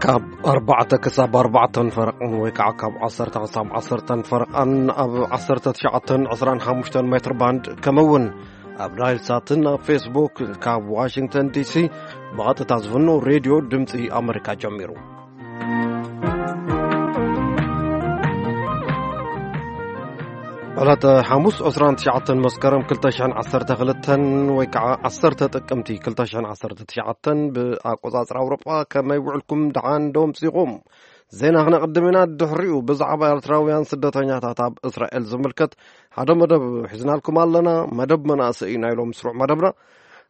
ካብ ኣርባዕተ ክሳብ ኣርባዕተን ፈረቓን ወይ ከዓ ካብ ዓሰርተ ክሳብ ዓሰርተን ፈረቓን ኣብ ዓሰርተ ትሽዓተን ዕስራን ሓሙሽተን ሜትር ባንድ፣ ከምኡ እውን ኣብ ናይል ሳትን ኣብ ፌስቡክ ካብ ዋሽንግተን ዲሲ ብቐጥታ ዝፍኖ ሬድዮ ድምፂ ኣመሪካ ጀሚሩ። ዕለተ ሓሙስ ዕስራን ትሽዓተን መስከረም ክልተ ሽሕን ዓሰርተ ክልተን ወይ ከዓ ዓሰርተ ጥቅምቲ ክልተ ሽሕን ዓሰርተ ትሽዓተን ብኣቆፃፅራ ኣውሮጳ። ከመይ ውዕልኩም? ደሓን ዶ ኣምሲኹም? ዜና ክነቕድም ኢና። ድሕሪኡ ብዛዕባ ኤርትራውያን ስደተኛታት ኣብ እስራኤል ዝምልከት ሓደ መደብ ሒዝናልኩም ኣለና። መደብ መናእሰይ ኢና ኢሎም ስሩዕ መደብና።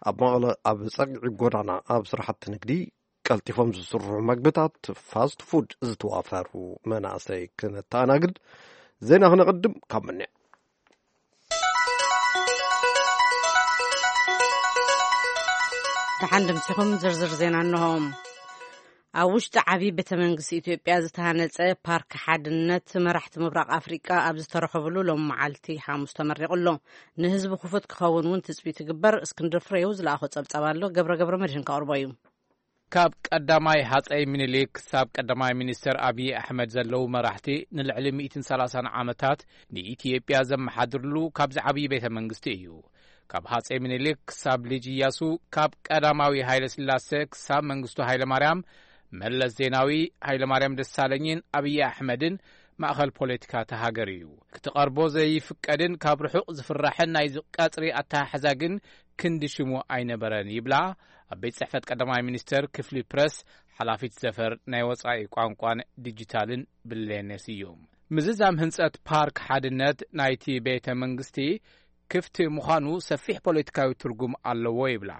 ኣብ መቐለ ኣብ ጸግዒ ጎዳና ኣብ ስራሕቲ ንግዲ ቀልጢፎም ዝስርሑ መግብታት ፋስት ፉድ ዝተዋፈሩ መናእሰይ ክነተኣናግድ ዜና ክነቕድም ካብ ምንያ። ደሓን ድምሲኹም ዝርዝር ዜና እንሆ። ኣብ ውሽጢ ዓብዪ ቤተ መንግስቲ ኢትዮጵያ ዝተሃነጸ ፓርክ ሓድነት መራሕቲ ምብራቕ ኣፍሪቃ ኣብ ዝተረኸብሉ ሎም መዓልቲ ሓሙስ ተመሪቑ ኣሎ። ንህዝቢ ክፉት ክኸውን እውን ትጽቢት ይግበር። እስክንድር ፍሬው ዝለኣኾ ጸብጻብ ኣሎ። ገብረ ገብረ መድህን ከቕርቦ እዩ። ካብ ቀዳማይ ሃጸይ ምኒልክ ክሳብ ቀዳማይ ሚኒስተር ኣብዪ ኣሕመድ ዘለዉ መራሕቲ ንልዕሊ ሚእትን ሰላሳን ዓመታት ንኢትዮጵያ ዘመሓድርሉ ካብዚ ዓብዪ ቤተ መንግስቲ እዩ። ካብ ሃጸይ ምኒልክ ክሳብ ልጅ እያሱ፣ ካብ ቀዳማዊ ሃይለ ስላሴ ክሳብ መንግስቱ ሃይለ ማርያም፣ መለስ ዜናዊ፣ ሃይለ ማርያም ደሳለኝን ኣብዪ ኣሕመድን ማእኸል ፖለቲካ እታ ሃገር እዩ። ክትቐርቦ ዘይፍቀድን ካብ ርሑቕ ዝፍራሕን ናይዚ ቀጽሪ ኣተሓሕዛ ግን ክንዲ ሽሙ ኣይነበረን ይብላ ኣብ ቤት ጽሕፈት ቀዳማይ ሚኒስተር ክፍሊ ፕረስ ሓላፊት ዘፈር ናይ ወጻኢ ቋንቋን ዲጂታልን ብሌነ ስዩም። ምዝዛም ህንጸት ፓርክ ሓድነት ናይቲ ቤተ መንግስቲ ክፍቲ ምዃኑ ሰፊሕ ፖለቲካዊ ትርጉም ኣለዎ ይብላ።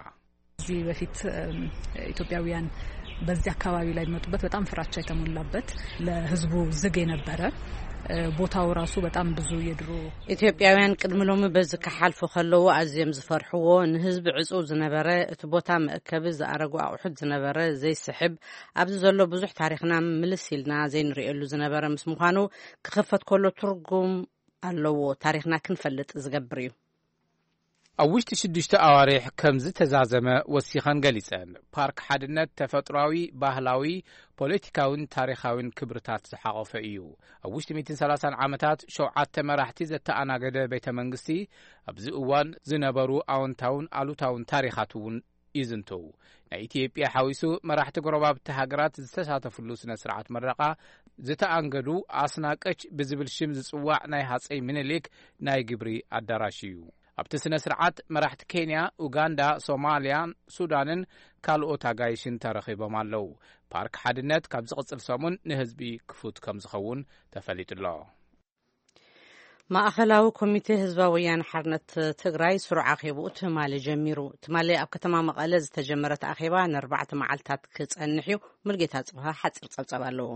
ከዚህ በፊት እም፣ ኢትዮጵያውያን በዚህ አካባቢ ላይ የሚመጡበት በጣም ፍራቻ የተሞላበት፣ ለህዝቡ ዝግ የነበረ፣ እ፣ ቦታው ራሱ በጣም ብዙ የድሮ ኢትዮጵያውያን ቅድሚ ሎሚ በዚ ክሓልፉ ከለዉ ኣዝዮም ዝፈርሕዎ፣ ንህዝቢ ዕጹው ዝነበረ፣ እቲ ቦታ መእከቢ ዝኣረጉ ኣቑሑት ዝነበረ፣ ዘይስሕብ፣ ኣብዚ ዘሎ ብዙሕ ታሪኽና ምልስ ኢልና ዘይንርእየሉ ዝነበረ ምስ ምዃኑ፣ ክኽፈት ከሎ ትርጉም ኣለዎ። ታሪኽና ክንፈልጥ ዝገብር እዩ። ኣብ ውሽጢ ሽዱሽተ ኣዋርሕ ከም ዝተዛዘመ ወሲኸን ገሊጸን። ፓርክ ሓድነት ተፈጥሯዊ፣ ባህላዊ፣ ፖለቲካውን ታሪኻውን ክብርታት ዝሓቖፈ እዩ። ኣብ ውሽጢ ሚእትን ሰላሳን ዓመታት ሸውዓተ መራሕቲ ዘተኣናገደ ቤተ መንግስቲ ኣብዚ እዋን ዝነበሩ ኣወንታውን ኣሉታውን ታሪኻት እውን ይዝንቱ። ናይ ኢትዮጵያ ሓዊሱ መራሕቲ ጎረባብቲ ሃገራት ዝተሳተፍሉ ስነ ስርዓት መረቓ ዝተኣንገዱ ኣስናቀች ብዝብል ሽም ዝጽዋዕ ናይ ሃጸይ ምኒልክ ናይ ግብሪ ኣዳራሽ እዩ። ኣብቲ ስነ ስርዓት መራሕቲ ኬንያ፣ ኡጋንዳ፣ ሶማልያን ሱዳንን ካልኦት ኣጋይሽን ተረኺቦም ኣለዉ። ፓርክ ሓድነት ካብ ዝቕጽል ሰሙን ንህዝቢ ክፉት ከም ዝኸውን ተፈሊጡ ኣሎ። ማእኸላዊ ኮሚቴ ህዝባዊ ወያነ ሓርነት ትግራይ ስሩዕ ኣኼብኡ ትማሊ ጀሚሩ። ትማሊ ኣብ ከተማ መቐለ ዝተጀመረ እቲ ኣኼባ ንኣርባዕተ መዓልታት ክጸንሕ እዩ። ሙልጌታ ጽብሃ ሓጺር ጸብጻብ ኣለዎ።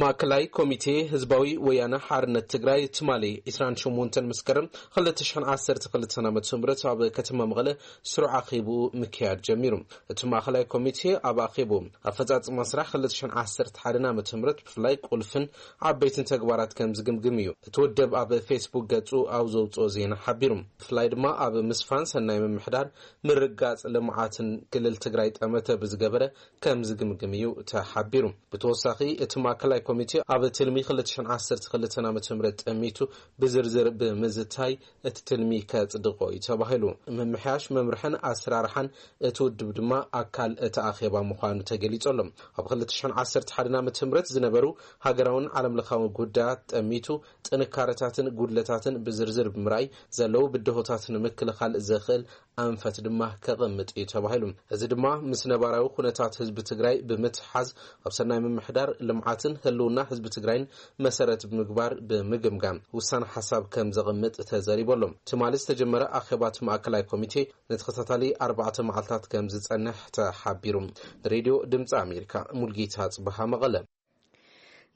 ማእከላይ ኮሚቴ ህዝባዊ ወያነ ሓርነት ትግራይ ትማሊ ዕስራን ሸሞንተን መስከረም ክልተ ሽሕን ዓሰርተ ክልተን ዓመተ ምህረት ኣብ ከተማ መቐለ ስሩዕ ኣኼብኡ ምክያድ ጀሚሩ። እቲ ማእከላይ ኮሚቴ ኣብ ኣኼብኡ ኣፈጻጽማ ስራሕ ክልተ ሽሕን ዓሰርተ ሓደን ዓመተ ምህረት ብፍላይ ቁልፍን ዓበይትን ተግባራት ከም ዝግምግም እዩ እቲ ውድብ ኣብ ፌስቡክ ገጹ ኣብ ዘውጽኦ ዜና ሓቢሩ። ብፍላይ ድማ ኣብ ምስፋን ሰናይ ምምሕዳር፣ ምርጋጽ ልምዓትን ክልል ትግራይ ጠመተ ብዝገበረ ከም ዝግምግም እዩ ተሓቢሩ። ብተወሳኺ እቲ ማእከላይ ኮሚቴ ኣብ ትልሚ ክልተ ሽሕን ዓሰርተ ክልተን ዓመተ ምህረት ጠሚቱ ብዝርዝር ብምዝታይ እቲ ትልሚ ከጽድቆ እዩ ተባሂሉ። ምምሕያሽ መምርሕን ኣሰራርሓን እቲ ውድብ ድማ ኣካል እቲ ኣኼባ ምዃኑ ተገሊጹ ኣሎ። ኣብ ክልተ ሽሕን ዓሰርተ ሓደን ዓመተ ምህረት ዝነበሩ ሃገራውን ዓለምለኻውን ጉዳያት ጠሚቱ ጥንካረታትን ጉድለታትን ብዝርዝር ብምርኣይ ዘለዉ ብድሆታት ንምክልኻል ዘኽእል ኣንፈት ድማ ከቐምጥ እዩ ተባሂሉ። እዚ ድማ ምስ ነባራዊ ኩነታት ህዝቢ ትግራይ ብምትሓዝ ኣብ ሰናይ ምምሕዳር፣ ልምዓትን ህልውና ህዝቢ ትግራይን መሰረት ብምግባር ብምግምጋም ውሳነ ሓሳብ ከም ዘቐምጥ ተዘሪቡ ኣሎ። ትማሊ ዝተጀመረ ኣኼባ እቲ ማእከላይ ኮሚቴ ንተኸታታሊ ኣርባዕተ መዓልታት ከም ዝጸንሕ ተሓቢሩ። ንሬድዮ ድምፂ ኣሜሪካ ሙልጌታ ጽበሃ መቐለ።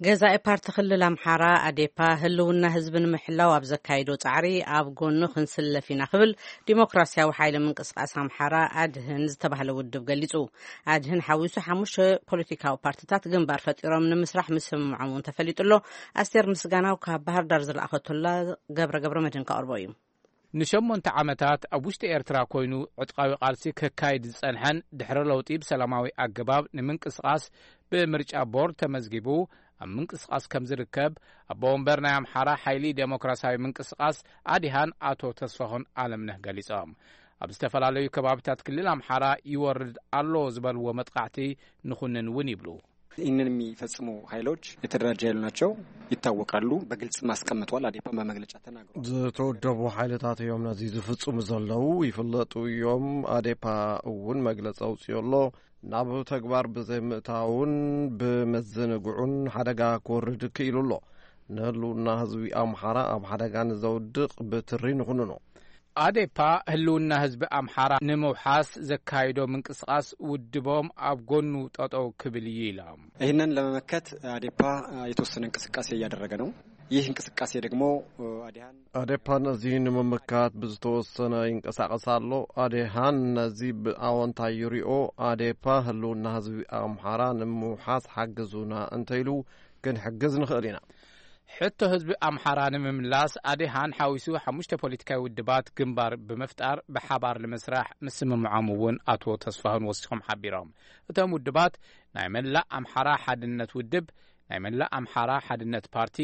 ገዛኢ ፓርቲ ክልል ኣምሓራ ኣዴፓ ህልውና ህዝቢ ንምሕላው ኣብ ዘካይዶ ጻዕሪ ኣብ ጎኑ ክንስለፍ ኢና ክብል ዲሞክራሲያዊ ሓይሊ ምንቅስቃስ ኣምሓራ ኣድህን ዝተባህለ ውድብ ገሊጹ። ኣድህን ሓዊሱ ሓሙሽተ ፖለቲካዊ ፓርቲታት ግንባር ፈጢሮም ንምስራሕ ምስምምዖም እውን ተፈሊጡ ኣሎ። ኣስቴር ምስጋናው ካብ ባህር ዳር ዝለኣኸቶላ ገብረ ገብረ መድህን ከቕርቦ እዩ። ንሸሞንተ ዓመታት ኣብ ውሽጢ ኤርትራ ኮይኑ ዕጥቃዊ ቃልሲ ከካይድ ዝጸንሐን ድሕሪ ለውጢ ብሰላማዊ ኣገባብ ንምንቅስቓስ ብምርጫ ቦርድ ተመዝጊቡ ኣብ ምንቅስቓስ ከም ዝርከብ ኣቦ ወንበር ናይ ኣምሓራ ሓይሊ ዴሞክራሲያዊ ምንቅስቓስ ኣዲሃን ኣቶ ተስፋኹን ኣለምነህ ገሊጾም። ኣብ ዝተፈላለዩ ከባቢታት ክልል ኣምሓራ ይወርድ ኣሎ ዝበልዎ መጥቃዕቲ ንኹንን እውን ይብሉ። ይህንን የሚፈጽሙ ኃይሎች የተደራጀ ኃይል ናቸው፣ ይታወቃሉ። በግልጽ ማስቀምጠዋል። አዴፓን በመግለጫ ተናግሯል። ዝተወደቡ ሓይልታት እዮም ነዚ ዝፍጽሙ ዘለዉ፣ ይፍለጡ እዮም። ኣዴፓ እውን መግለጺ ኣውፅኡ ኣሎ። ናብ ተግባር ብዘይምእታውን ብመዘንግዑን ሓደጋ ክወርድ ክኢሉ ኣሎ። ንህልውና ህዝቢ ኣምሓራ ኣብ ሓደጋ ንዘውድቕ ብትሪ ንኹንኖ። ኣዴፓ ህልውና ህዝቢ ኣምሓራ ንምውሓስ ዘካይዶ ምንቅስቓስ ውድቦም ኣብ ጎኑ ጠጠው ክብል እዩ ኢሎም። ይህንን ለመመከት አዴፓ የተወሰነ እንቅስቃሴ እያደረገ ነው። ይህ እንቅስቃሴ ደግሞ አዲሃን ኣዴፓ ነዚ ንምምካት ብዝተወሰነ ይንቀሳቐስ ኣሎ። ኣዴሃን ነዚ ብኣወንታ ይሪኦ። ኣዴፓ ህልውና ህዝቢ ኣምሓራ ንምውሓስ ሓግዙና እንተኢሉ ክንሕግዝ ንኽእል ኢና። ሕቶ ህዝቢ ኣምሓራ ንምምላስ ኣዴሃን ሓዊሱ ሓሙሽተ ፖለቲካዊ ውድባት ግንባር ብምፍጣር ብሓባር ንምስራሕ ምስምምዖም እውን ኣቶ ተስፋሁን ወሲኾም ሓቢሮም። እቶም ውድባት ናይ መላእ ኣምሓራ ሓድነት ውድብ፣ ናይ መላእ ኣምሓራ ሓድነት ፓርቲ፣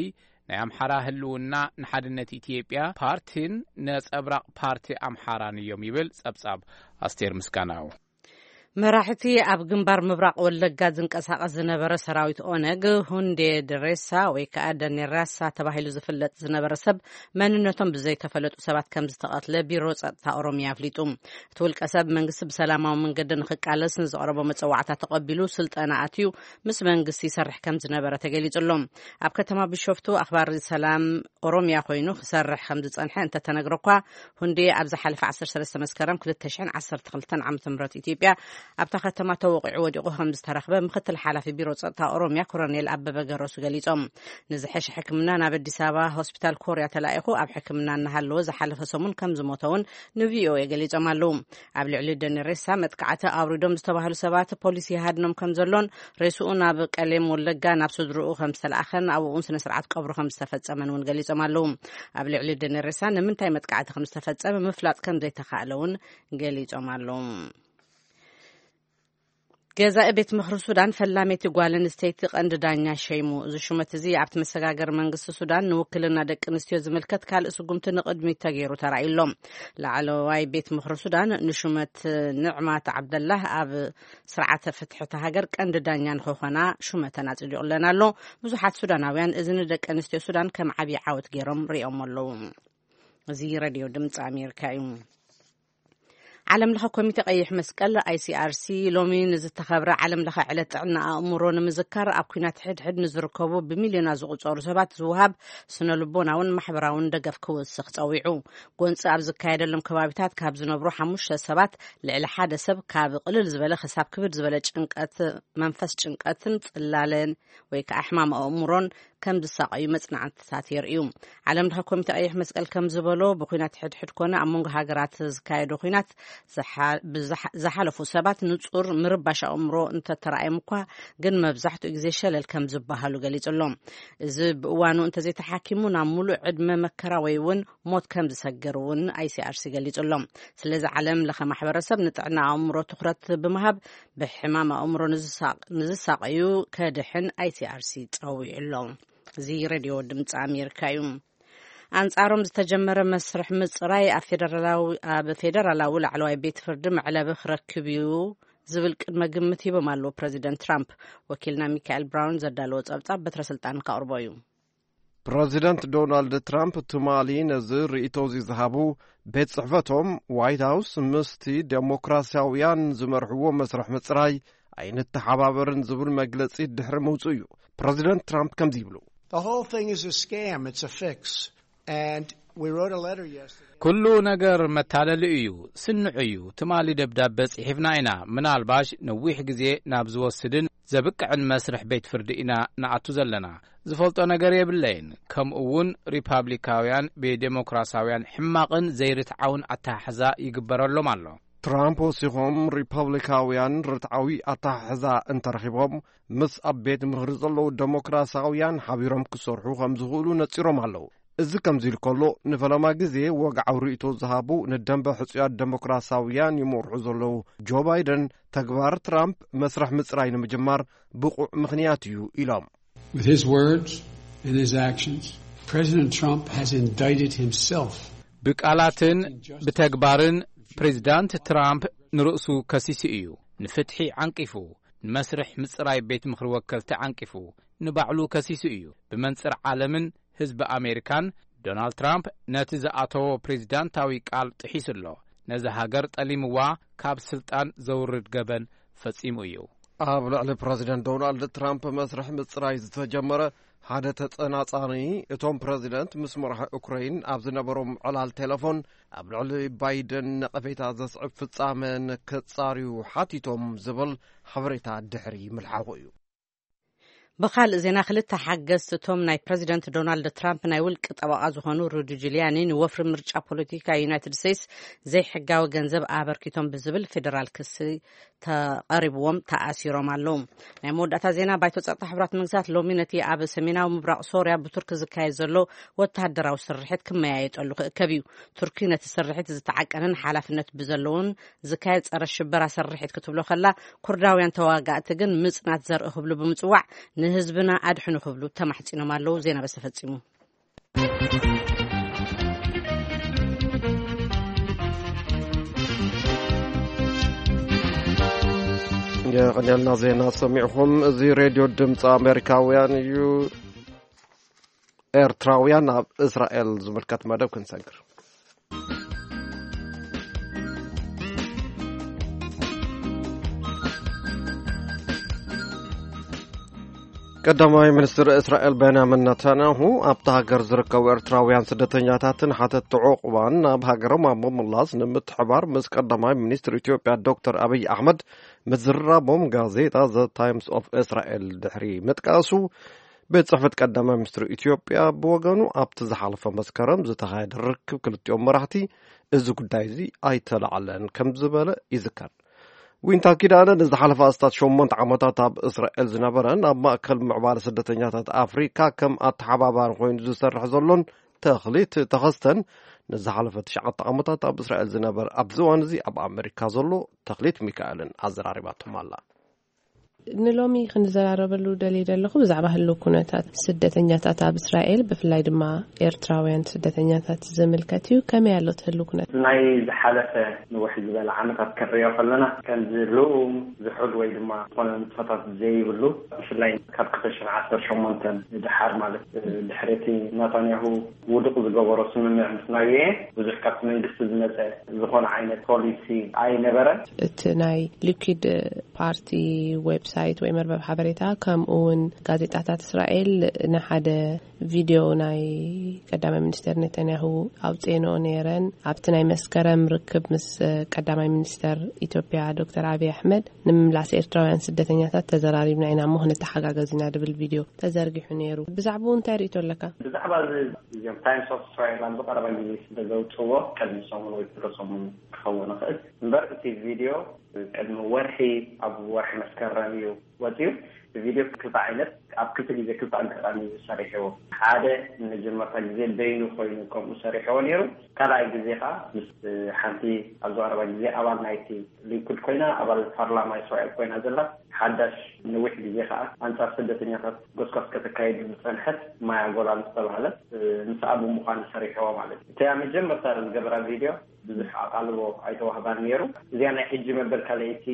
ናይ ኣምሓራ ህልውና ንሓድነት ኢትዮጵያ ፓርቲን ነጸብራቕ ፓርቲ ኣምሓራን እዮም ይብል ጸብጻብ ኣስቴር ምስጋናው። መራሕቲ ኣብ ግንባር ምብራቕ ወለጋ ዝንቀሳቐስ ዝነበረ ሰራዊት ኦነግ፣ ሁንዴ ድሬሳ ወይ ከዓ ደኔራሳ ተባሂሉ ዝፍለጥ ዝነበረ ሰብ መንነቶም ብዘይተፈለጡ ሰባት ከም ዝተቐትለ ቢሮ ጸጥታ ኦሮሚያ ኣፍሊጡ። እቲ ውልቀ ሰብ መንግስቲ ብሰላማዊ መንገዲ ንክቃለስ ንዘቕረቦ መጸዋዕታ ተቐቢሉ ስልጠና ኣትዩ ምስ መንግስቲ ይሰርሕ ከም ዝነበረ ተገሊጹ ኣሎ። ኣብ ከተማ ቢሾፍቱ ኣኽባሪ ሰላም ኦሮሚያ ኮይኑ ክሰርሕ ከም ዝጸንሐ እንተተነግረ እኳ፣ ሁንዴ ኣብ ዝሓለፈ ዓሰርተ ሰለስተ መስከረም ክልተ ሽሕን ዓሰርተ ክልተን ዓመተ ምህረት ኢትዮጵያ ኣብታ ከተማ ተወቒዑ ወዲቑ ከም ዝተረኽበ ምክትል ሓላፊ ቢሮ ጸጥታ ኦሮሚያ ኮሎኔል ኣበበ ገረሱ ገሊጾም። ንዝሐሸ ሕክምና ናብ ኣዲስ ኣበባ ሆስፒታል ኮርያ ተላኢኹ ኣብ ሕክምና እናሃለወ ዝሓለፈ ሰሙን ከም ዝሞተ እውን ንቪኦኤ ገሊጾም ኣለዉ። ኣብ ልዕሊ ደኒ ሬሳ መጥቃዕቲ ኣውሪዶም ዝተባህሉ ሰባት ፖሊስ ይሃድኖም ከም ዘሎን ሬስኡ ናብ ቀሌም ወለጋ ናብ ስድርኡ ከም ዝተለኣኸን ኣብኡ እውን ስነ ስርዓት ቀብሩ ከም ዝተፈጸመን እውን ገሊጾም ኣለዉ። ኣብ ልዕሊ ደኒ ሬሳ ንምንታይ መጥቃዕቲ ከም ዝተፈጸመ ምፍላጥ ከም ዘይተኻእለ እውን ገሊጾም ኣለዉ። ገዛኢ ቤት ምኽሪ ሱዳን ፈላመይቲ ጓል ኣንስተይቲ ቀንዲ ዳኛ ሸይሙ። እዚ ሹመት እዚ ኣብቲ መሰጋገሪ መንግስቲ ሱዳን ንውክልና ደቂ ኣንስትዮ ዝምልከት ካልእ ስጉምቲ ንቕድሚት ተገይሩ ተራእዩ ኣሎ። ላዕለዋይ ቤት ምኽሪ ሱዳን ንሹመት ንዕማት ዓብደላህ ኣብ ስርዓተ ፍትሒ እታ ሃገር ቀንዲ ዳኛ ንክኾና ሹመተን ኣጽዲቑለን ኣሎ። ብዙሓት ሱዳናውያን እዚ ንደቂ ኣንስትዮ ሱዳን ከም ዓብዪ ዓወት ገይሮም ሪኦም ኣለዉ። እዚ ሬድዮ ድምፂ ኣሜሪካ እዩ። ዓለም ለኸ ኮሚቴ ቀይሕ መስቀል፣ ኣይሲኣርሲ፣ ሎሚ ንዝተኸብረ ዓለም ለኸ ዕለት ጥዕና ኣእምሮ ንምዝካር ኣብ ኲናት ሕድሕድ ንዝርከቡ ብሚልዮናት ዝቑጸሩ ሰባት ዝወሃብ ስነ ልቦናውን ማሕበራውን ደገፍ ክውስኽ ጸዊዑ። ጎንፂ ኣብ ዝካየደሎም ከባቢታት ካብ ዝነብሩ ሓሙሽተ ሰባት ልዕሊ ሓደ ሰብ ካብ ቅልል ዝበለ ክሳብ ክብድ ዝበለ ጭንቀት መንፈስ፣ ጭንቀትን ጽላለን ወይ ከዓ ሕማም ኣእምሮን ከም ዝሳቐዩ መጽናዕትታት የርእዩ። ዓለም ለኸ ኮሚቴ ቀይሕ መስቀል ከም ዝበሎ ብኲናት ሕድሕድ ኮነ ኣብ መንጎ ሃገራት ዝካየዱ ኲናት ዝሓ- ብዝሓ- ዝሓለፉ ሰባት ንጹር ምርባሽ ኣእምሮ እንተተራእዮም እኳ ግን መብዛሕትኡ ግዜ ሸለል ከም ዝበሃሉ ገሊጹ ኣሎ። እዚ ብእዋኑ እንተዘይተሓኪሙ ናብ ሙሉእ ዕድመ መከራ ወይ እውን ሞት ከም ዝሰግር እውን ኣይሲኣርሲ ገሊጹ ኣሎ። ስለዚ ዓለም ለኸ ማሕበረሰብ ንጥዕና ኣእምሮ ትኹረት ብምሃብ ብሕማም ኣእምሮ ንዝሳቕ- ንዝሳቐዩ ከድሕን ኣይሲኣርሲ ጸዊዑ ኣሎ። እዚ ሬድዮ ድምፂ ኣሜሪካ እዩ። ኣንጻሮም ዝተጀመረ መስርሕ ምጽራይ ኣብ ፌደራላዊ ኣብ ፌደራላዊ ላዕለዋይ ቤት ፍርዲ መዕለቢ ክረክብ እዩ ዝብል ቅድመ ግምት ሂቦም ኣለዉ ፕረዚደንት ትራምፕ። ወኪልና ሚካኤል ብራውን ዘዳለዎ ጸብጻብ በትረ ስልጣን ከቕርቦ እዩ። ፕረዚደንት ዶናልድ ትራምፕ ትማሊ ነዚ ርእይቶ እዚ ዝሃቡ፣ ቤት ጽሕፈቶም ዋይት ሃውስ ምስቲ ዴሞክራሲያውያን ዝመርሕዎ መስርሕ ምጽራይ ኣይንተሓባበርን ዝብል መግለጺ ድሕሪ ምውጽኡ እዩ። ፕረዚደንት ትራምፕ ከምዚ ይብሉ። The whole thing is a scam. It's a fix. And we wrote a letter yesterday. ኩሉ ነገር መታለሊ እዩ፣ ስንዑ እዩ። ትማሊ ደብዳበ ጽሒፍና ኢና። ምናልባሽ ነዊሕ ግዜ ናብ ዝወስድን ዘብቅዕን መስርሕ ቤት ፍርዲ ኢና ንኣቱ ዘለና። ዝፈልጦ ነገር የብለይን። ከምኡ እውን ሪፓብሊካውያን ብዴሞክራሲያውያን ሕማቕን ዘይርትዓውን ኣተሓሕዛ ይግበረሎም ኣሎ። ትራምፕ ወሲኾም፣ ሪፓብሊካውያን ርትዓዊ ኣተሓሕዛ እንተረኺቦም፣ ምስ ኣብ ቤት ምኽሪ ዘለዉ ደሞክራሲያውያን ሓቢሮም ክሰርሑ ከም ዝኽእሉ ነጺሮም ኣለዉ። እዚ ከምዚ ኢሉ ከሎ፣ ንፈለማ ግዜ ወግዓዊ ርእይቶ ዝሃቡ ንደንበ ሕጹያት ደሞክራሲያውያን ይመርሑ ዘለዉ ጆ ባይደን፣ ተግባር ትራምፕ መስርሕ ምጽራይ ንምጅማር ብቑዕ ምኽንያት እዩ ኢሎም። With his words and his actions, President Trump has indicted himself. ብቃላትን ብተግባርን ፕሬዚዳንት ትራምፕ ንርእሱ ከሲሱ እዩ። ንፍትሒ ዓንቂፉ፣ ንመስርሕ ምጽራይ ቤት ምኽሪ ወከልቲ ዓንቂፉ፣ ንባዕሉ ከሲሱ እዩ። ብመንጽር ዓለምን ህዝቢ ኣሜሪካን፣ ዶናልድ ትራምፕ ነቲ ዝኣተዎ ፕሬዚዳንታዊ ቃል ጥሒሱ ኣሎ። ነዚ ሃገር ጠሊምዋ ካብ ስልጣን ዘውርድ ገበን ፈጺሙ እዩ። ኣብ ልዕሊ ፕረዚደንት ዶናልድ ትራምፕ መስርሕ ምጽራይ ዝተጀመረ ሓደ ተጸናጻኒ፣ እቶም ፕረዚደንት ምስ መራሒ ኡክረይን ኣብ ዝነበሮም ዕላል ቴሌፎን ኣብ ልዕሊ ባይደን ነቐፌታ ዘስዕብ ፍጻመ ንክጻርዩ ሓቲቶም ዝብል ሓበሬታ ድሕሪ ምልሓቑ እዩ። ብኻልእ ዜና፣ ክልተ ሓገዝቲ እቶም ናይ ፕረዚደንት ዶናልድ ትራምፕ ናይ ውልቂ ጠበቓ ዝኾኑ ሩዲ ጁልያኒ ንወፍሪ ምርጫ ፖለቲካ ዩናይትድ ስቴትስ ዘይሕጋዊ ገንዘብ ኣበርኪቶም ብዝብል ፌደራል ክሲ ተቐሪብዎም ተኣሲሮም ኣለዉ። ናይ መወዳእታ ዜና፣ ባይቶ ጸጥታ ሕቡራት መንግስታት ሎሚ ነቲ ኣብ ሰሜናዊ ምብራቕ ሶርያ ብቱርኪ ዝካየድ ዘሎ ወተሃደራዊ ስርሒት ክመያየጠሉ ክእከብ እዩ። ቱርኪ ነቲ ስርሒት ዝተዓቀነን ሓላፍነት ብዘለዎን ዝካየድ ጸረ ሽበራ ስርሒት ክትብሎ ከላ፣ ኩርዳውያን ተዋጋእቲ ግን ምጽናት ዘርኢ ክብሉ ብምጽዋዕ ንህዝብና ኣድሕኑ ክብሉ ተማሕጺኖም ኣለዉ። ዜና በዚ ተፈጺሙ። የቐንየልና ዜና ሰሚዕኹም። እዚ ሬድዮ ድምፂ ኣሜሪካውያን እዩ። ኤርትራውያን ኣብ እስራኤል ዝምልከት መደብ ክንሰግር። ቀዳማይ ሚኒስትር እስራኤል ቤንያሚን ነታንያሁ ኣብታ ሃገር ዝርከቡ ኤርትራውያን ስደተኛታትን ሓተትቲ ዑቕባን ናብ ሃገሮም ኣብ ምምላስ ንምትሕባር ምስ ቀዳማይ ሚኒስትር ኢትዮጵያ ዶክተር ኣብይ ኣሕመድ ምዝራቦም ጋዜጣ ዘ ታይምስ ኦፍ እስራኤል ድሕሪ ምጥቃሱ፣ ቤት ጽሕፈት ቀዳማይ ሚኒስትር ኢትዮጵያ ብወገኑ ኣብቲ ዝሓለፈ መስከረም ዝተኻየደ ርክብ ክልቲኦም መራሕቲ እዚ ጉዳይ እዚ ኣይተላዕለን ከም ዝበለ ይዝከር። ዊንታ ኪዳነ ንዝሓለፈ ኣስታት ሸሞንተ ዓመታት ኣብ እስራኤል ዝነበረን ኣብ ማእከል ምዕባለ ስደተኛታት ኣፍሪካ ከም ኣተሓባባሪ ኮይኑ ዝሰርሕ ዘሎን ተኽሊት ተኸስተን ንዝሓለፈ ትሽዓተ ዓመታት ኣብ እስራኤል ዝነበር ኣብዚ እዋን እዚ ኣብ ኣሜሪካ ዘሎ ተኽሊት ሚካኤልን ኣዘራሪባቶም ኣላ። ንሎሚ ክንዘራረበሉ ደልየ ዘለኹ ብዛዕባ ህልው ኩነታት ስደተኛታት ኣብ እስራኤል፣ ብፍላይ ድማ ኤርትራውያን ስደተኛታት ዝምልከት እዩ። ከመይ ኣሎ እቲ ህልው ኩነታት? ናይ ዝሓለፈ ንውሕ ዝበለ ዓመታት ክንሪኦ ከለና፣ ከምዚ ልኡም ዝሑል ወይ ድማ ዝኾነ ንጥፈታት ዘይብሉ፣ ብፍላይ ካብ ክልተ ሽሕን ዓሰርተ ሸሞንተን ንደሓር ማለት፣ ድሕሪ እቲ ናታንያሁ ውዱቕ ዝገበሮ ስምምዕ ምስ ናይኤ፣ ብዙሕ ካብቲ መንግስቲ ዝመጸ ዝኾነ ዓይነት ፖሊሲ ኣይነበረን። እቲ ናይ ሊኩድ ፓርቲ ዌብሳይት ወይ መርበብ ሓበሬታ፣ ከምኡ እውን ጋዜጣታት እስራኤል ንሓደ ቪድዮ ናይ ቀዳማይ ሚኒስትር ኔታንያሁ ኣውፅኤንኦ ነይረን። ኣብቲ ናይ መስከረም ርክብ ምስ ቀዳማይ ሚኒስትር ኢትዮጵያ ዶክተር ኣብይ ኣሕመድ፣ ንምምላስ ኤርትራውያን ስደተኛታት ተዘራሪብና ኢና እሞ ክንተሓጋገዝ ኢና ድብል ቪድዮ ተዘርጊሑ ነይሩ። ብዛዕባኡ እንታይ ርእይቶ ኣለካ? ብዛዕባ እዚ፣ እዚኦም ታይምስ ኦፍ እስራኤል ኣብዚ ቀረባ ግዜ ስለ ዘውፅዎ፣ ቅድሚ ሰሙን ወይ ድሕሪ ሰሙን ክኸውን ይኽእል እምበር፣ እቲ ቪድዮ ቅድሚ ወርሒ፣ ኣብ ወርሒ መስከረም እዩ ወፂኡ። እቲ ቪድዮ ክልተ ዓይነት፣ ኣብ ክልተ ግዜ ክልተ ኣጋጣሚ እዩ ሰሪሕዎ። ሓደ ንመጀመርታ ግዜ በይኑ ኮይኑ ከምኡ ሰሪሕዎ ነይሩ። ካልኣይ ግዜ ከዓ ምስ ሓንቲ ኣብዚ ቀረባ ግዜ ኣባል ናይቲ ሊኩድ ኮይና፣ ኣባል ፓርላማ እስራኤል ኮይና ዘላ፣ ሓዳሽ ነዊሕ ግዜ ከዓ ኣንጻር ስደተኛታት ጎስጓስ ከተካይድ ዝጸንሐት ማያ ጎላን ዝተባህለት፣ ምስኣ ብምዃን ሰሪሕዎ ማለት እዩ። እቲኣ መጀመርታ ዝገበራ ቪድዮ ብዙሕ ኣቓልቦ ኣይተዋህባን ነይሩ። እዚኣ ናይ ሕጂ መበል ካልኣይቲ፣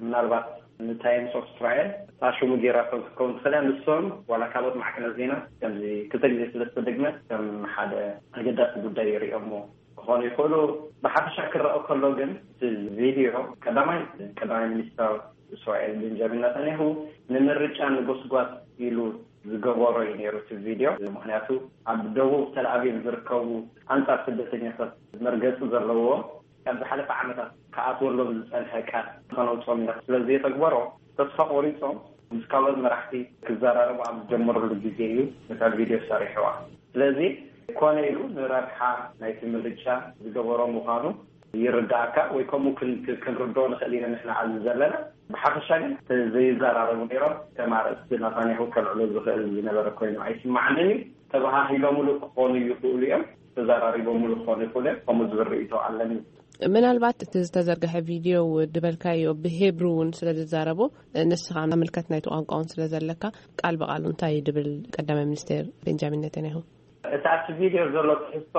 ምናልባት ንታይምስ ኦፍ እስራኤል እታ ሽሙ ጌራቶም ክትከውን ትኽእል እያ። ንሶም ዋላ ካልኦት ማዕከናት ዜና ከምዚ ክልተ ግዜ ስለ ዝተደግመት ከም ሓደ ኣገዳሲ ጉዳይ ይርእዮሞ ክኾኑ ይኽእሉ። ብሓፈሻ ክረአ ከሎ ግን እቲ ቪድዮ ቀዳማይ ቀዳማይ ሚኒስተር እስራኤል ቤንጃሚን ናታንያሁ ንምርጫ ንጎስጓስ ኢሉ ዝገበሮ እዩ ነይሩ እቲ ቪድዮ። ምኽንያቱ ኣብ ደቡብ ተልኣቪቭ ዝርከቡ ኣንጻር ስደተኛታት መርገጺ ዘለዎ ካብ ዝሓለፈ ዓመታት ክኣትወሎም ዝጸንሐ ቃል ከነውጽኦም ኢና ስለ ዘየተግበሮ፣ ተስፋ ቆሪጾም ምስ ካልኦት መራሕቲ ክዘራረቡ ኣብ ዝጀመሩሉ ግዜ እዩ ነታ ቪድዮ ሰሪሕዋ። ስለዚ ኮነ ኢሉ ንረብሓ ናይቲ ምርጫ ዝገበሮ ምዃኑ ይርዳእካ፣ ወይ ከምኡ ክን-፣ ክን-፣ ክንርድኦ ንኽእል ኢና ንሕና ኣብዚ ዘለና። ብሓፈሻ ግን ዘይዘራረቡ ነይሮም፣ ከም ኣርእስቲ ናታንያሁ ከልዕሎ ዝኽእል ዝነበረ ኮይኑ ኣይስማዓንን እዩ። ተባሃሂሎምሉ ክኾኑ ይኽእሉ እዮም፣ ተዘራሪቦምሉ ክኾኑ ይኽእሉ እዮም። ከምኡ ዝብል ርእይቶ ኣለኒ። ምናልባት እቲ ዝተዘርግሐ ቪድዮ ድበልካዮ ብሄብሩ እውን ስለ ዝዛረቦ፣ ንስኻ ምልከት ናይቲ ቋንቋ እውን ስለ ዘለካ፣ ቃል ብቓሉ እንታይ ድብል ቀዳማይ ሚኒስቴር ቤንጃሚን ኔታንያሁ? እቲ ኣብቲ ቪድዮ ዘሎ ትሕዝቶ፣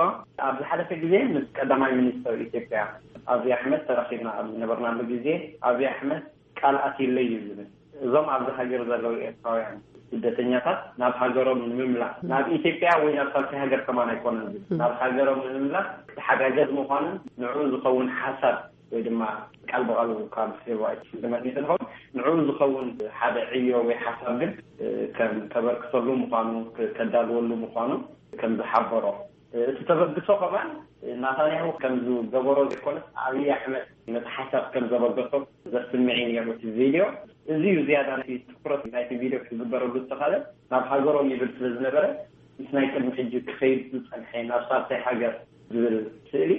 ኣብ ዝሓለፈ ግዜ ምስ ቀዳማይ ሚኒስተር ኢትዮጵያ ኣብይ ኣሕመድ ተራኺብና ኣብ ዝነበርናሉ ግዜ፣ ኣብይ ኣሕመድ ቃል ኣትዩለይ እዩ ዝብል። እዞም ኣብዚ ሃገር ዘለዉ ኤርትራውያን ስደተኛታት ናብ ሃገሮም ንምምላስ፣ ናብ ኢትዮጵያ ወይ ናብ ሳልሳይ ሃገር ከማን ኣይኮነን ዝብል፣ ናብ ሃገሮም ንምምላስ ክትሓጋገዝ ምዃኑን ንዕኡ ዝኸውን ሓሳብ ወይ ድማ ቃል ብቓሉ ካብ ፌብሩዋሪ ስምንት ይኸውን ንዕኡ ዝኸውን ሓደ ዕዮ ወይ ሓሳብ ግን ከም ከበርክተሉ ምዃኑ፣ ከዳልወሉ ምዃኑ ከም ዝሓበሮ፣ እቲ ተበግሶ ከማን ናታንያሁ ከም ዝገበሮ ዘይኮነስ ኣብይ ኣሕመድ ነቲ ሓሳብ ከም ዘበገሶ ዘስምዕ እዩ ነይሩ እቲ ቪድዮ። እዚ እዩ ዝያዳ ናይቲ ትኩረት ናይቲ ቪድዮ ክግበረሉ ዝተኻለ። ናብ ሃገሮም ይብል ስለ ዝነበረ ምስ ናይ ቅድሚ ሕጂ ክኸይድ ዝጸንሐ ናብ ሳልሳይ ሃገር ዝብል ስእሊ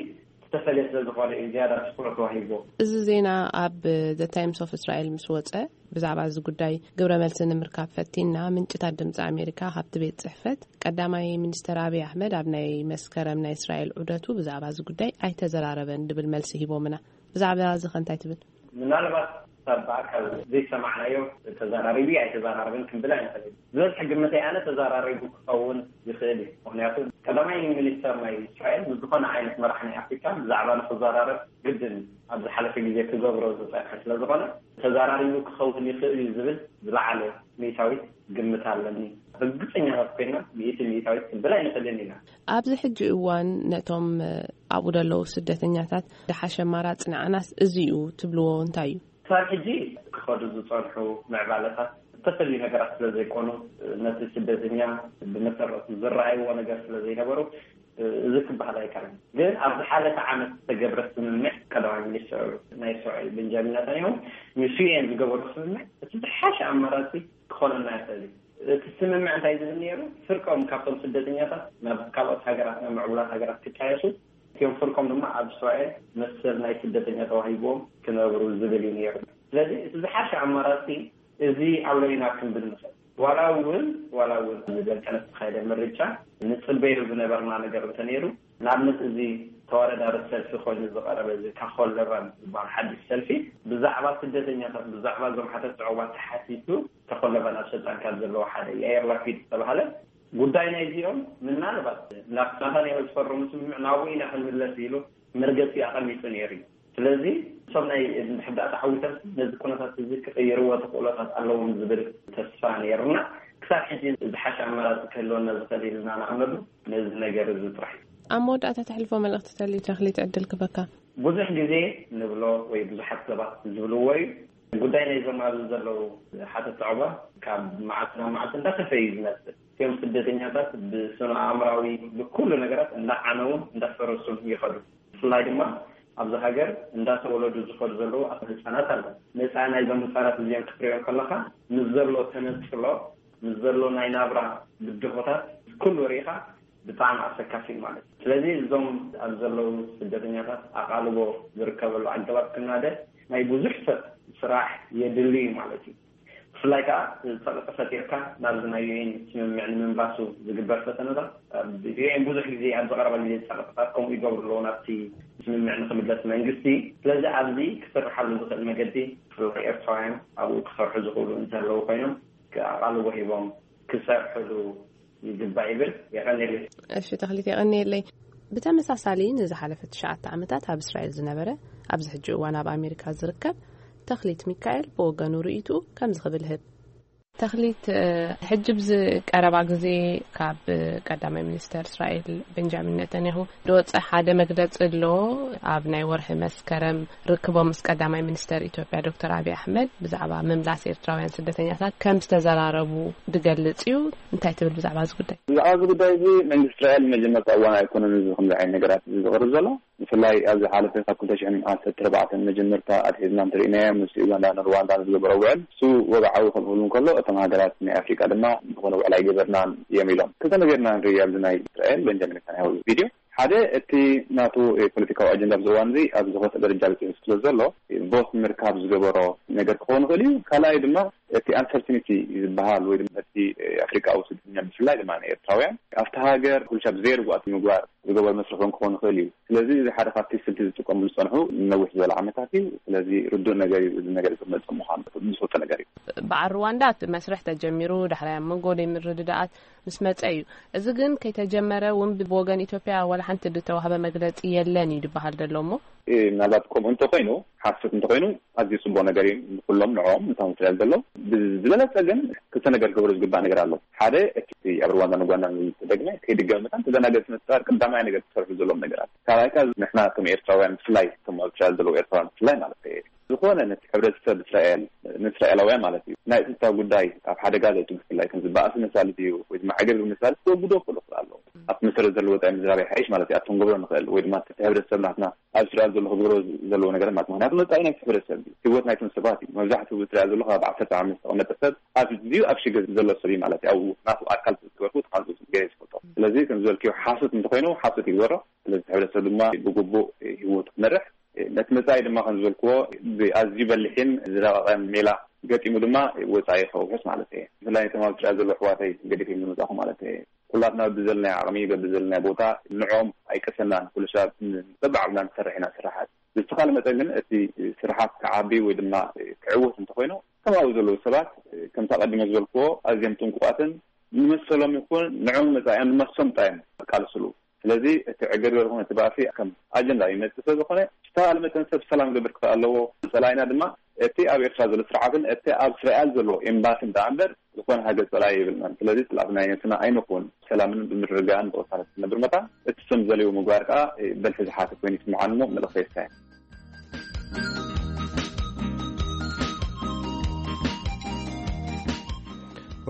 ዝተፈለየ ስለ ዝኾነ እዩ ዝያዳ ትኩረት ተዋሂቦ። እዚ ዜና ኣብ The Times of Israel ምስ ወጸ፣ ብዛዕባ እዚ ጉዳይ ግብረ መልሲ ንምርካብ ፈቲና፣ ምንጭታት ድምፂ ኣሜሪካ ካብቲ ቤት ጽሕፈት ቀዳማይ ሚኒስተር ኣብይ ኣሕመድ ኣብ ናይ መስከረም ናይ እስራኤል ዑደቱ ብዛዕባ እዚ ጉዳይ ኣይተዘራረበን ድብል መልሲ ሂቦምና። ብዛዕባ እዚ ከ እንታይ ትብል? ምናልባት ካብ ብኣካል ዘይሰማዕናዮ ተዘራሪቡ ኣይተዘራረበን ክንብል ኣይንኽእል። ዝበዝሐ ግምተይ ኣነ ተዘራሪቡ ክኸውን ይኽእል እዩ። ምኽንያቱ ቀዳማይ ሚኒስተር ናይ እስራኤል ምስ ዝኾነ ዓይነት መራሕ ናይ ኣፍሪካ ብዛዕባ ንክዘራረብ ግድን ኣብ ዝሓለፈ ግዜ ክገብሮ ዝፀንሐ ስለ ዝኾነ ተዘራሪቡ ክኸውን ይኽእል እዩ ዝብል ዝለዓለ ሚእታዊት ግምት ኣለኒ። ርግፀኛታት ኮይና ሚእቲ ሚእታዊት ክንብል ኣይንኽእልን ኢና። ኣብዚ ሕጂ እዋን ነቶም ኣብኡ ዘለዉ ስደተኛታት ዝሓሸ ኣማራፂ ንዓናስ እዚ እዩ ትብልዎ እንታይ እዩ? ክሳብ ሕጂ ክኸዱ ዝጸንሑ ምዕባለታት ዝተፈልዩ ነገራት ስለ ዘይኮኑ፣ ነቲ ስደተኛ ብመሰረቱ ዝረኣይዎ ነገር ስለ ዘይነበሩ፣ እዚ ክበሃል ኣይከኣልን። ግን ኣብ ዝሓለፈ ዓመት ዝተገብረ ስምምዕ ቀዳማይ ሚኒስትር ናይ እስራኤል ቤንጃሚን ናታንያሁ ምስ ዩ ኤን ዝገበሩ ስምምዕ እቲ ዝሓሸ ኣማራጺ ክኾነና ይኽእል እዩ። እቲ ስምምዕ እንታይ ዝብል ነይሩ? ፍርቆም ካብቶም ስደተኛታት ናብ ካልኦት ሃገራት፣ ናብ ምዕቡላት ሃገራት ክጣየሱ፣ እቲኦም ፍርቆም ድማ ኣብ እስራኤል መሰል ናይ ስደተኛ ተዋሂቦም ክነብሩ ዝብል እዩ ነይሩ። ስለዚ እቲ ዝሓሸ ኣማራጺ እዚ ኣሎ ኢና ክንብል ንኽእል። ዋላ እውን፣ ዋላ እውን ብዘልቀነ ዝተኻየደ ምርጫ ንጽበዮ ዝነበርና ነገር እንተነይሩ፣ ንኣብነት እዚ ተወዳዳሪ ሰልፊ ኮይኑ ዝቐረበ እዚ ካኾል ለባን ዝበሃል ሓድሽ ሰልፊ ብዛዕባ ስደተኛታት፣ ብዛዕባ እዞም ሓተት ዑቕባ ተሓቲቱ፣ ካኾል ለባን ኣብ ስልጣን ካብ ዘለዉ ሓደ ያየር ላፒድ ዝተባሃለ ጉዳይ ናይዚኦም ምናልባት ናብ ናታንያሁ ዝፈረሙ ስምምዕ ናብኡ ኢና ክንምለስ ኢሉ መርገጺ ኣቐሚጡ ነይሩ እዩ። ስለዚ እቶም ናይ እንድሕር ደኣ ተዓዊቶም ነዚ ኩነታት እዚ ክቕይርዎ ተኽእሎታት ኣለዎም ዝብል ተስፋ ነይሩና። ክሳብ ሕጂ ዝሓሸ ኣማራጺ ክህልወና ዝኽእል ኢልና ንኣምነሉ ነዚ ነገር እዚ ጥራሕ እዩ። ኣብ መወዳእታ ተሕልፎ መልእኽቲ ተልዩ ተኽሊት ዕድል ክበካ። ብዙሕ ግዜ ንብሎ ወይ ብዙሓት ሰባት ዝብልዎ እዩ። ጉዳይ ናይዞም ኣብዚ ዘለዉ ሓተት ዑቕባ ካብ መዓልቲ ናብ መዓልቲ እንዳኸፈ እዩ ዝመጽእ። እቶም ስደተኛታት ብስነ ኣእምራዊ ብኩሉ ነገራት እንዳዓነውን እንዳፈረሱን ይኸዱ። ብፍላይ ድማ ኣብዚ ሃገር እንዳተወለዱ ዝኸዱ ዘለዉ ኣቶ ህፃናት ኣለዉ። መጻኢ ናይዞም ህፃናት እዚኦም ክትሪኦም ከለኻ ምስ ዘሎ ተነጽሎ፣ ምስ ዘሎ ናይ ናብራ ብድሆታት ኩሉ ርኢኻ ብጣዕሚ ኣሰካፊ እዩ ማለት እዩ። ስለዚ እዞም ኣብ ዘለዉ ስደተኛታት ኣቓልቦ ዝርከበሉ ኣገባብ ክናደ ናይ ብዙሕ ሰብ ስራሕ የድሊ እዩ ማለት እዩ። ብፍላይ ከዓ ጸቕጢ ፈጢርካ ናብዚ ናይ ዩ ኤን ስምምዕ ንምንባሱ ዝግበር ፈተነታት፣ ኣብ ዩ ኤን ብዙሕ ግዜ ኣብዚ ቀረባ ግዜ ጸቕጥታት ከምኡ ይገብሩ ኣለዉ ናብቲ ስምምዕ ንክምለስ መንግስቲ። ስለዚ ኣብዚ ክስርሓሉ ዝኽእል መገዲ ብፍላይ ኤርትራውያን ኣብኡ ክሰርሑ ዝኽእሉ እንተለዉ ኮይኖም ኣቓልቦ ሂቦም ክሰርሕሉ ይግባእ ይብል። የቐንየለይ። እሺ ተኽሊት፣ የቐንየለይ። ብተመሳሳሊ ንዝሓለፈ ትሽዓተ ዓመታት ኣብ እስራኤል ዝነበረ፣ ኣብዚ ሕጂ እዋን ኣብ ኣሜሪካ ዝርከብ ተኽሊት ሚካኤል ብወገኑ ርእይትኡ ከምዚ ክብል ህብ። ተኽሊት፣ እ፣ ሕጂ ብዚ ቀረባ ግዜ ካብ ቀዳማይ ሚኒስተር እስራኤል ቤንጃሚን ኔታንያሁ ዝወፀ ሓደ መግለፂ ኣሎ። ኣብ ናይ ወርሒ መስከረም ርክቦም ምስ ቀዳማይ ሚኒስተር ኢትዮጵያ ዶክተር ኣብይ ኣሕመድ ብዛዕባ ምምላስ ኤርትራውያን ስደተኛታት ከም ዝተዘራረቡ ዝገልጽ እዩ። እንታይ ትብል ብዛዕባ እዚ ጉዳይ? ብዛዕባ እዚ ጉዳይ እዚ መንግስቲ እስራኤል መጀመርታ እዋን ኣይኮነን እዚ ከምዚ ዓይነት ነገራት እዚ ዝቕርብ ዘሎ። ብፍላይ ኣብ ዝሓለፈ ካብ ክልተ ሽሕን ዓሰርተ ኣርባዕተን መጀመርታ ኣትሒዝና እንተሪእናዮ ምስ ዩጋንዳን ሩዋንዳን ዝገበሮ ውዕል፣ እሱ ወግዓዊ ክኸውን ከሎ፣ እቶም ሃገራት ናይ ኣፍሪቃ ድማ ዝኾነ ውዕል ኣይገበርናን እዮም ኢሎም። ክልተ ነገር ኢና ንርኢ ኣብዚ ናይ እስራኤል ቤንጃሚን ኔታንያሁ ቪድዮ። ሓደ እቲ ናቱ ፖለቲካዊ ኣጀንዳ ኣብዚ እዋን እዚ ኣብ ዝኸፍእ ደረጃ በፂሑ ስለ ዘሎ ቦት ንምርካብ ዝገበሮ ነገር ክኸውን ይኽእል እዩ። ካልኣይ ድማ እቲ ኣንሰርቲኒቲ ዝበሃል ወይ ድማ እቲ ኣፍሪቃዊ ስደተኛ ብፍላይ ድማ ንኤርትራውያን ካብቲ ሃገር ኩልሻ ብዘየርጉኣት ምግባር ዝገበር መስርሖም ክኸውን ይኽእል እዩ። ስለዚ እዚ ሓደ ካብቲ ስልቲ ዝጥቀሙ ዝፀንሑ ነዊሕ ዝበለ ዓመታት እዩ። ስለዚ ርዱእ ነገር እዩ። እዚ ነገር ዝመፀ ምዃኑ ዝፈልጦ ነገር እዩ። በዓል ሩዋንዳ እቲ መስርሕ ተጀሚሩ ዳሕራይ ኣብ መንጎ ዘይምርድዳኣት ምስ መጸ እዩ። እዚ ግን ከይተጀመረ እውን ብወገን ኢትዮጵያ ዋላ ሓንቲ ዝተዋህበ መግለጺ የለን እዩ ዝበሃል ዘሎ እሞ። እ፣ ምናልባት ከምኡ እንተኾይኑ፣ ሓሶት እንተኾይኑ ኣዝዩ ጽቡቕ ነገር እዩ። ንኩሎም ንዕኦም ነቶም እስራኤል ዘሎ ብዝበለጸ ግን ክልተ ነገር ክገብሩ ዝግባእ ነገር ኣሎ። ሓደ እቲ ኣብ ሩዋንዳን ኡጋንዳን ዝተደግመ ከይድገም መታን ተደናገጽ ምፍጣር ቀዳማይ ነገር ክሰርሑ ዘለዎም ነገራት። ካልኣይ ከኣ ንሕና ከም ኤርትራውያን ብፍላይ እቶም ኣብ እስራኤል ዘለዉ ኤርትራውያን ብፍላይ ማለት እዩ ዝኾነ ነቲ ሕብረተሰብ እስራኤል ንእስራኤላውያን ማለት እዩ ናይ ጸጥታ ጉዳይ ኣብ ሓደጋ ዘእቱ ብፍላይ ከም ዝበኣሱ መሳልት እዩ ወይ ድማ ዕግርግር መሳልት ክወግዶ ክኽእሉ ይኽእሉ ኣለዉ። ኣብቲ መሰረት ዘለዎ ወጻኢ ምዝራብ ይሓይሽ ማለት እዩ ኣብቶም ክገብሮ ንኽእል ወይ ድማ እቲ ሕብረተሰብ ናትና ኣብ እስራኤል ዘሎ ክገብሮ ዘለዎ ነገር ማለት ምክንያቱ መጻኢ ናይቲ ሕብረተሰብ እዩ ህይወት ናይቶም ሰባት እዩ። መብዛሕትኡ ብእስራኤል ዘሎ ካብ ዓሰርተ ዓመት ዝተቐመጠ ሰብ ኣዝዩ ኣብ ሽግር ዘሎ ሰብ እዩ ማለት እዩ። ኣብኡ ናቱ ኣካል ዝገበርኩ ተቃልጡ ገይረ ዝፈልጦ። ስለዚ ከም ዝበልክዮ ሓሶት እንተኮይኑ ሓሶት ይግበሮ። ስለዚ እቲ ሕብረተሰብ ድማ ብግቡእ ህይወቱ ክመርሕ ነቲ መጻኢ ድማ ከም ዝበልክዎ ብኣዝዩ በሊሕን ዝረቐቐን ሜላ ገጢሙ ድማ ወጻኢ ከውሕስ ማለት እየ። ብፍላይ ነቶም ኣብ እስራኤል ዘለዉ ኣሕዋተይ ገዲፈ ዝመጻኹ ማለት እየ። ኩላትና በብዘለናዮ ዓቕሚ በብዘለናዮ ቦታ ንዕኦም ኣይቀሰናን ኩሉ ሰብ በብዓቕምና ንሰርሕ ኢና ስራሓት። ብዝተኻለ መጠን ግን እቲ ስራሓት ክዓቢ ወይ ድማ ክዕወት እንተኾይኑ ከም ኣብኡ ዘለዉ ሰባት ከምቲ ኣቐዲመ ዝበልክዎ ኣዝዮም ጥንቁቓትን ንመሰሎም ይኹን ንዕኦም መጻኢኦም ንመሶም ጥራይ እዮም ዝቃለስሉ። ስለዚ እቲ ዕግርግር ይኹን እቲ ባእሲ ከም ኣጀንዳ ይመጽእ ስለ ዝኾነ ዝተባህለ መጠን ሰብ ሰላም ክገብር ክኽእል ኣለዎ። ጸላኢና ድማ እቲ ኣብ ኤርትራ ዘሎ ስርዓትን እቲ ኣብ እስራኤል ዘሎ ኤምባስን ደኣ እምበር ዝኾነ ሃገር ጸላኢ የብልናን። ስለዚ ጸላእቲ ናይ ነብስና ኣይንኹን። ሰላምን ብምርግጋእን ብቕሳነት ክነብር መታን እቲ ሰብ ዘልዎ ምግባር ከኣ በልሒ ዝሓተ ኮይኑ ይስምዓኒ እሞ መልእኽተይ እሳ እያ።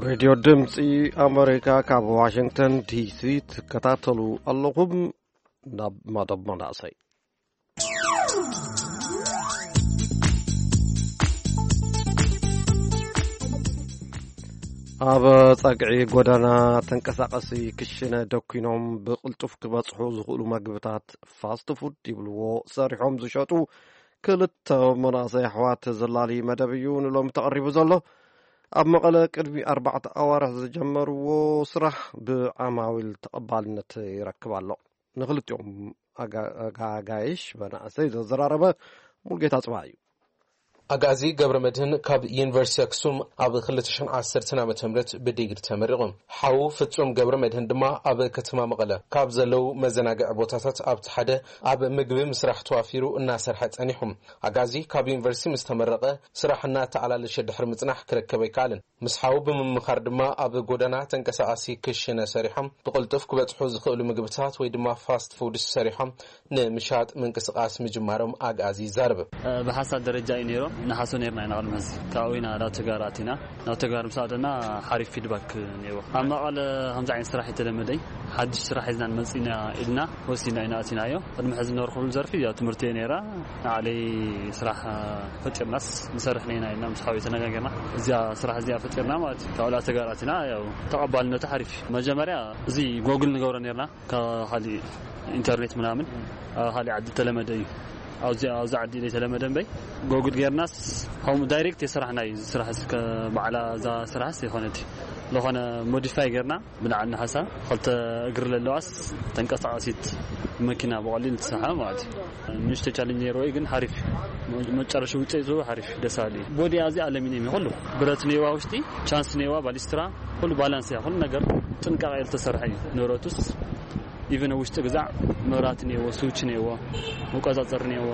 ሬድዮ ድምፂ ኣመሪካ ካብ ዋሽንግተን ዲሲ ትከታተሉ ኣለኹም። ናብ መደብ መናእሰይ። ኣብ ጸግዒ ጎደና ተንቀሳቐሲ ክሽነ ደኲኖም ብቕልጡፍ ክበጽሑ ዝኽእሉ መግብታት ፋስት ፉድ ይብልዎ ሰሪሖም ዝሸጡ ክልተ መናእሰይ ኣሕዋት ዘላሊ መደብ እዩ ንሎሚ ተቐሪቡ ዘሎ። ኣብ መቐለ ቅድሚ ኣርባዕተ ኣዋርሕ ዝጀመርዎ ስራሕ ብዓማዊል ተቐባልነት ይረክብ ኣሎ። ንክልቲኦም ኣጋ-፣ ኣጋጋይሽ መናእሰይ ዘዘራረበ ሙልጌታ ጽባህ እዩ። ኣግኣዚ ገብረ መድህን ካብ ዩኒቨርሲቲ ኣክሱም ኣብ ክልተ ሽሕን ዓሰርተን ዓመተ ምህረት ብዲግሪ ተመሪቑ። ሓዉ ፍጹም ገብረ መድህን ድማ ኣብ ከተማ መቐለ ካብ ዘለዉ መዘናግዒ ቦታታት ኣብቲ ሓደ ኣብ ምግቢ ምስራሕ ተዋፊሩ እናሰርሐ ጸኒሑ። ኣግኣዚ ካብ ዩኒቨርሲቲ ምስ ተመረቐ ስራሕ እናተኣላለሸ ድሕሪ ምጽናሕ ክረከብ ኣይከኣለን። ምስ ሓዉ ብምምኻር ድማ ኣብ ጎደና ተንቀሳቓሲ ክሽነ ሰሪሖም ብቕልጡፍ ክበጽሑ ዝኽእሉ ምግብታት ወይ ድማ ፋስት ፉድስ ሰሪሖም ንምሻጥ ምንቅስቓስ ምጅማሮም ኣግኣዚ ይዛረብ። ብሓሳብ ደረጃ እዩ ነይሩ። ንሓሶ ነይርና ኢና ቅድሚ ሕዚ። ካብኡ ኢና ናብ ተግባር ኣቲና። ናብ ተግባር ምስ ኣተና ሓሪፍ ፊድባክ ነይርዎ። ኣብ መቐለ ከምዚ ዓይነት ስራሕ የተለመደ እዩ። ሓድሽ ስራሕ ሒዝና ንመጽእ ኢና ኢልና ወሲድና ኢና ኣቲናዮ። ቅድሚ ሕዚ ነበርኩሉ ዘርፊ ያው ትምህርቲ እየ ነይራ። ንዓለይ ስራሕ ፈጢርናስ ንሰርሕ ነይና ኢልና ምስ ሓወይ ተነጋገርና። እዚኣ ስራሕ እዚኣ ፈጢርና ማለት እዩ። ካብ ላ ተጋራትና ያው ተቐባልነቱ ሓሪፍ እዩ። መጀመርያ እዚ ጎግል ንገብሮ ነይርና ካብ ካሊእ ኢንተርኔት ምናምን ኣብ ካሊእ ዓዲ ተለመደ እዩ። ኣብዚ ኣብዚ ዓዲ ዘይተለመደ እምበይ ጎግል ጌርናስ ከምኡ ዳይሬክት የስራሕና እዩ። እዚ ስራሕ እስከ ባዕላ እዛ ስራሕስ የኾነት ዝኾነ ሞዲፋይ ጌርና ብንዓና ሓሳብ ክልተ እግሪ ዘለዋስ ተንቀሳቓሲት መኪና ብቐሊሉ ትሰርሓ ማለት እዩ። ንእሽቶ ቻሌንጅ ነይርዎ እዩ ግን ሓሪፍ እዩ። መጨረሻ ውፅኢቱ ሓሪፍ እዩ፣ ደስ በሃሊ እዩ። ቦዲያ እዚ ኣለሚንየም እዩ፣ ኩሉ ብረት ነይዋ፣ ውሽጢ ቻንስ ነይዋ፣ ባሊስትራ፣ ኩሉ ባላንስ እያ፣ ኩሉ ነገር ጥንቃቄ ዝተሰርሐ እዩ። ንብረቱስ ኢቨን ውሽጢ ግዛዕ መብራት ነይዎ፣ ስዊች ነይዎ፣ መቆፃፀሪ ነይዎ፣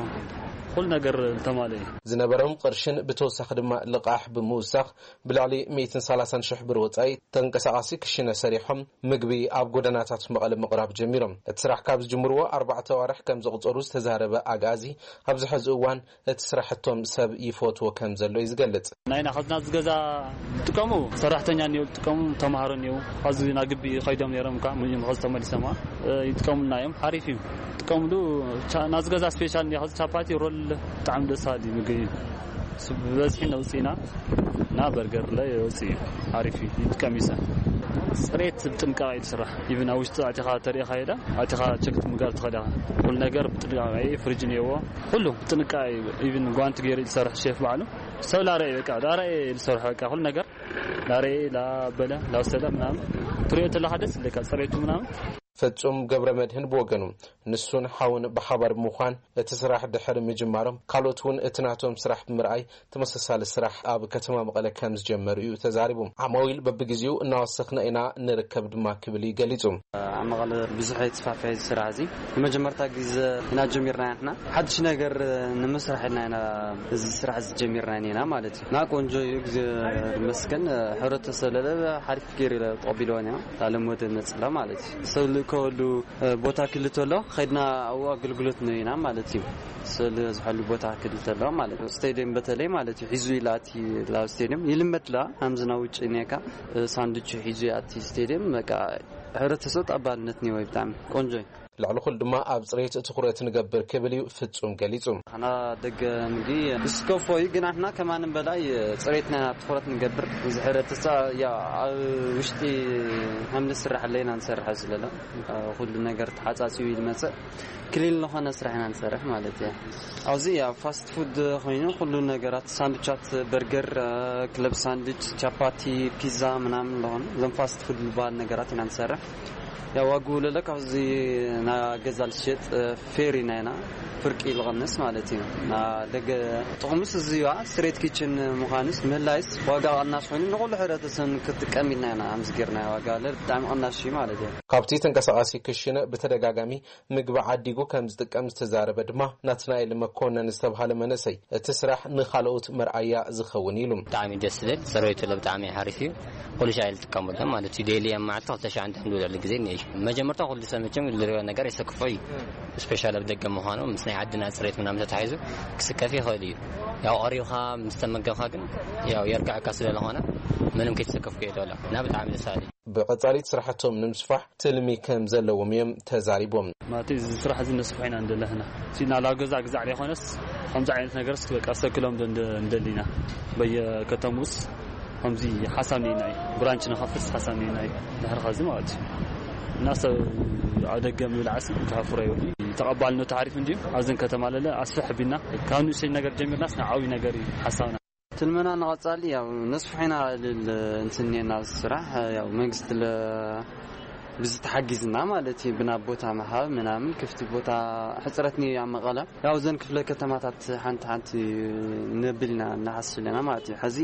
ኩሉ ነገር ዝተማለ እዩ። ዝነበሮም ቅርሽን ብተወሳኺ ድማ ልቓሕ ብምውሳኽ ብልዕሊ ሚእትን ሰላሳን ሽሕ ብር ወጻኢ ተንቀሳቓሲ ክሽነ ሰሪሖም ምግቢ ኣብ ጎደናታት መቐለ ምቕራብ ጀሚሮም። እቲ ስራሕ ካብ ዝጅምርዎ ኣርባዕተ ኣዋርሕ ከም ዘቑጸሩ ዝተዛረበ ኣግኣዚ፣ ኣብዚ ሕዚ እዋን እቲ ስራሕቶም ሰብ ይፈትዎ ከም ዘሎ እዩ ዝገልጽ። ናይና ኸዝና ዝገዛ ዝጥቀሙ ሰራሕተኛ እኒኦ፣ ዝጥቀሙ ተምሃሮ እኒኦ። ኸዚ ናብ ግቢ ኸይዶም ነይሮም እኳ፣ ምንም ኸዚ ተመሊሶም ይጥቀሙልና እዮም። ሓሪፍ እዩ። ጥቀምሉ ቻ-፣ ናዚ ገዛ ስፔሻል እንዲያ፣ ኸዚ ቻፓቲ ሮል ብጣዕሚ ደስ በሃሊ ምግቢ እዩ። እሱ ብበዝሒ ነውፅእና እና በርገር ለ የውፅእ እዩ። ሓሪፍ እዩ። ይጥቀም እዩ ሰብ። ጽሬት ብጥንቃቄ እዩ ዝስራሕ። ኢቭን ኣብ ውሽጢ ኣቲኻ ተሪኢኻ ሄዳ ኣቲኻ ቸክ ምግባር ትኽእል ኢኻ። ኩሉ ነገር ብጥንቃቄ እዩ፣ ፍሪጅ እኒሄዎ፣ ኩሉ ብጥንቃቄ እዩ። ኢቭን ጓንቲ ገይሩ እዩ ዝሰርሕ ሼፍ ባዕሉ። ሰብ ላረየ በቃ ላረየ እዩ ዝሰርሖ በቃ ኩሉ ነገር ላረየ ላበለ ላውሰደ ምናምን ትሪኦ ተለኻ ደስ ይብለካ ጽሬቱ ምናምን። ፍጹም ገብረ መድህን ብወገኑ ንሱን ሓውን ብሓባር ብምዃን እቲ ስራሕ ድሕሪ ምጅማሮም ካልኦት እውን እቲ ናቶም ስራሕ ብምርኣይ ተመሳሳሊ ስራሕ ኣብ ከተማ መቐለ ከም ዝጀመሩ እዩ ተዛሪቡ። ዓማዊል በብግዜኡ እናወሰኽና ኢና ንርከብ ድማ ክብል እዩ ገሊጹ። ኣብ መቐለ ብዙሕ ኣይተስፋፍሐ እዚ ስራሕ እዚ ንመጀመርታ ግዜ ኢና ጀሚርና ኢና። ሓድሽ ነገር ንምስራሕ ኢልና ኢና እዚ ስራሕ እዚ ጀሚርና ኢና ማለት እዩ። እና ቆንጆ እዩ፣ ግዜ ይመስገን። ሕብረተሰብ ለለ ሓሪፍ ገይሩ ተቐቢልዎ እኒኦ። ላለም ወደ ነፅላ ማለት እዩ። ሰብ ልእከወሉ ቦታ ክልተ ኣሎ፣ ከይድና ኣብኡ ኣገልግሎት ንህብ ኢና ማለት እዩ። ሰብ ዝበዝሐሉ ቦታ ክልተ ኣሎ ማለት እዩ። ስቴድየም በተለይ ማለት እዩ ሒዙ ይላቲ ላብ ስቴድየም ይልመድ ላ ሃምዝና ውጭ ኔካ ሳንዱች ሒዙ ያቲ ስቴድየም በቃ ሕብረተሰብ ተቐባልነት ኒወ ብጣዕሚ ቆንጆ እዩ። ልዕሊ ኩሉ ድማ ኣብ ፅሬት ትኹረት ንገብር ክብል እዩ ፍጹም ገሊጹ። ኣና ደገ ምግቢ ዝስከፎ እዩ፣ ግን ኣሕና ከማንም በላይ ፅሬትና ትኹረት ንገብር። እዚ ሕብረተሰብ ያው ኣብ ውሽጢ ሃምሊ ስራሕ ኣለና ንሰርሐ ስለለ ኩሉ ነገር ተሓጻጺቡ ይመጽእ። ክሊል ዝኾነ ስራሕ ኢና ንሰርሕ ማለት እዩ። ኣብዚ ያው ፋስት ፉድ ኮይኑ ኩሉ ነገራት ሳንዱቻት፣ በርገር፣ ክለብ ሳንዱች፣ ቻፓቲ፣ ፒዛ ምናምን ዝኾኑ እዞም ፋስት ፉድ ዝበሃል ነገራት ኢና ንሰርሕ። ያው ዋግኡ ለለ ካብዚ ና ገዛ ልሸጥ ፌር ኢና ኢና ፍርቂ ልቐንስ ማለት እዩ። ና ደገ ጥቕሙስ እዚ ዋ ስትሬት ኪችን ምዃንስ ምህላይስ ዋጋ ቐናሽ ኮይኑ ንኹሉ ሕብረተሰብ ክትጥቀም ኢልና ኢና ኣምዚ ጌርና ዋጋ ለለ ብጣዕሚ ቐናሽ እዩ ማለት እዩ። ካብቲ ተንቀሳቓሲ ክሽነ ብተደጋጋሚ ምግቢ ዓዲጉ ከም ዝጥቀም ዝተዛረበ ድማ ናትናኤል መኮነን ዝተብሃለ መንእሰይ፣ እቲ ስራሕ ንኻልኦት መርኣያ ዝኸውን ኢሉ። ብጣዕሚ ደስ ዝብል ፅሬቱ ለ ብጣዕሚ ሓሪፍ እዩ። ኩሉ ሻዕ ዝጥቀመሎም ማለት እዩ። ዴሊ ኣብ መዓልቲ ክልተ ሻዕ እንዳ ንብለሉ ግዜ እኒአ እዩ። መጀመርታ ኩሉ ሰብ መቸም ዝሪኦ ነገር የሰክፎ እዩ። ስፔሻል ኣብ ደገ ምዃኑ ምስ ናይ ዓድና ፅሬት ምናምን ተታሒዙ ክስከፍ ይኽእል እዩ። ያው ቀሪብካ ምስ ተመገብካ ግን ያው የርክዐካ ስለዝኾነ ምንም ከይተሰከፍኩ እየ ትበልዕ እና ብጣዕሚ ደስ በሃሊ እዩ። ብቐጻሊ እቲ ስራሕቶም ንምስፋሕ ትልሚ ከም ዘለዎም እዮም ተዛሪቦም። ማለት እዚ ስራሕ እዚ ነስፍሖ ኢና እንደለህና ሲና ላብ ገዛ ግዛዕ ዘይኮነስ ከምዚ ዓይነት ነገርስ በቃ ሰክሎም ዶ እንደ- እንደሊና በየከተሙስ ከምዚ ሓሳብ ነይና እዩ ብራንች ንኸፍትስ ሓሳብ ነይና እዩ ድሕሪ ኸዚ ማለት እዩ እና ሰብ ኣብ ደገ ምብላዕስ ክሃፍሮ ይብል ተቐባልነቱ ሓሪፍ እንዲዩ ኣብዘን ከተማ ለለ ኣስፍሕ ቢልና ካብ ንእሽተይ ነገር ጀሚርናስ ንዓብይ ነገር እዩ ሓሳብና ትልመና ንቐጻሊ ያው ነስፍሖ ኢና ልል እንትን እኒኤና ኣብዚ ስራሕ ያው መንግስቲ ለ ብዚ ተሓጊዝና ማለት እዩ ብናብ ቦታ ምሃብ ምናምን ክፍቲ ቦታ ሕፅረት ኒ ኣብ መቐለ ያው ዘን ክፍለ ከተማታት ሓንቲ ሓንቲ ነብል ኢና ንሓስብ ኣለና ማለት እዩ ሕዚ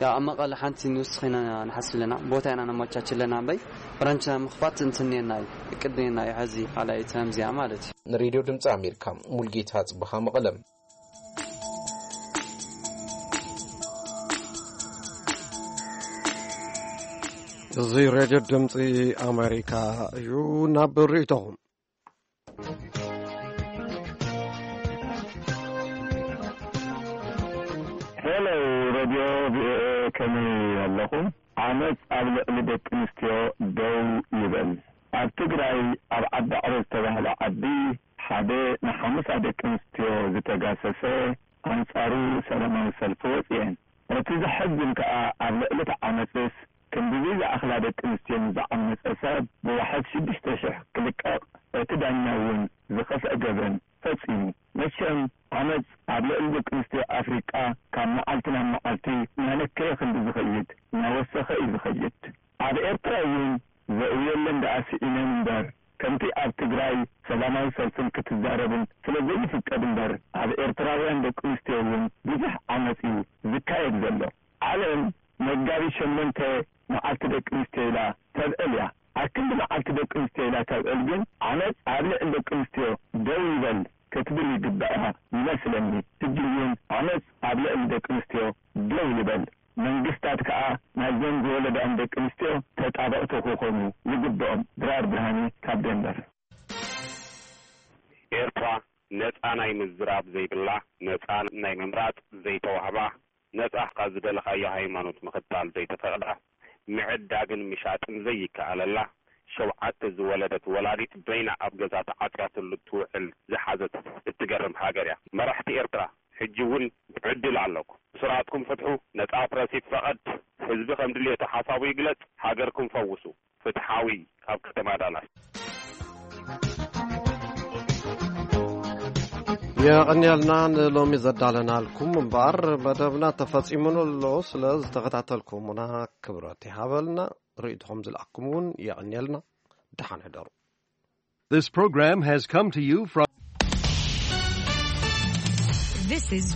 ያው ኣብ መቐለ ሓንቲ ንውስኽ ኢና ንሓስብ ኣለና ቦታ ኢና ነመቻች ኣለና እምበይ ብራንች ምኽፋት እንትን እኒኤና እዩ እቅድ እኒኤና እዩ ሕዚ ካልኣይ ተምዚያ ማለት እዩ ንሬድዮ ድምፂ ኣሜሪካ ሙልጌታ ጽብሃ መቐለም እዚ ሬድዮ ድምፂ ኣሜሪካ እዩ ናብ ርእይቶኹም ሄሎ ሬድዮ ቪኦኤ ከመይ ኣለኹም ዓመፅ ኣብ ልዕሊ ደቂ ኣንስትዮ ደው ይበል ኣብ ትግራይ ኣብ ዓዲ ዕረ ዝተባህለ ዓዲ ሓደ ንሓሙሳ ደቂ ኣንስትዮ ዝተጋሰሰ ኣንፃሩ ሰላማዊ ሰልፊ ወፅኤን። እቲ ዘሐዝን ከዓ ኣብ ልዕሊ እቲ ዓመፅስ ክንድዚ ዝኣኽላ ደቂ ኣንስትዮ ንዝዓመፀ ሰብ ብዋሕስ ሽዱሽተ ሽሕ ክልቀቕ እቲ ዳኛ እውን ዝኸፍአ ገበን ፈፂሙ። መቸም ዓመፅ ኣብ ልዕሊ ደቂ ኣንስትዮ ኣፍሪቃ ካብ መዓልቲ ናብ መዓልቲ እናነከየ ክንዲ ዝኸይድ እናወሰኸ እዩ ዝኸይድ። ኣብ ኤርትራ እውን ዘእውየለን ደኣ ስኢነን እምበር ከምቲ ኣብ ትግራይ ሰላማዊ ሰልፍን ክትዛረብን ስለዘይፍቀድ እምበር ኣብ ኤርትራውያን ደቂ ኣንስትዮ እውን ብዙሕ ዓመፅ እዩ ዝካየድ ዘሎ። ዓለም መጋቢት ሸሞንተ መዓልቲ ደቂ ኣንስትዮ ኢላ ተብዕል እያ። ኣብ ክንዲ መዓልቲ ደቂ ኣንስትዮ ኢላ ተብዕል ግን ዓመፅ ኣብ ልዕሊ ደቂ ኣንስትዮ ደው ይበል ክትብል ይግበኣ ይመስለኒ። ሕጂ እውን ዓመፅ ኣብ ልዕሊ ደቂ ኣንስትዮ ደው ይበል። መንግስታት ከኣ ናይዘን ዝወለዳኦም ደቂ ኣንስትዮ ተጣበቕቲ ክኾኑ ይግበኦም። ድራር ብርሃነ ካብ ደንቨር። ኤርትራ ነጻ ናይ ምዝራብ ዘይብላ፣ ነጻ ናይ ምምራጽ ዘይተዋህባ፣ ነጻ ካብ ዝደለኻዮ ሃይማኖት ምኽታል ዘይተፈቕዳ፣ ምዕዳግን ምሻጥን ዘይከኣለላ፣ ሸውዓተ ዝወለደት ወላዲት በይና ኣብ ገዛ ተዓጽያትሉ ትውዕል ዝሓዘት እትገርም ሃገር እያ። መራሕቲ ኤርትራ ሕጂ እውን ዕድል ኣለኩም። እሱራትኩም ፍትሑ፣ ነጻ ፕረስ ይፈቐድ። ህዝቢ ከም ድሌቱ ሓሳቡ ይግለጽ፣ ሃገር ክንፈውሱ። ፍትሓዊ ካብ ከተማ ዳላስ። የቐንየልና ንሎሚ ዘዳለናልኩም እምበኣር መደብና ተፈጺሙን ኣሎ። ስለ ዝተኸታተልኩምና ክብረት ይሃበልና። ርእይቶኹም ዝለኣኩም እውን የቐንየልና። ደሓን ሕደሩ። This program has come to you from This is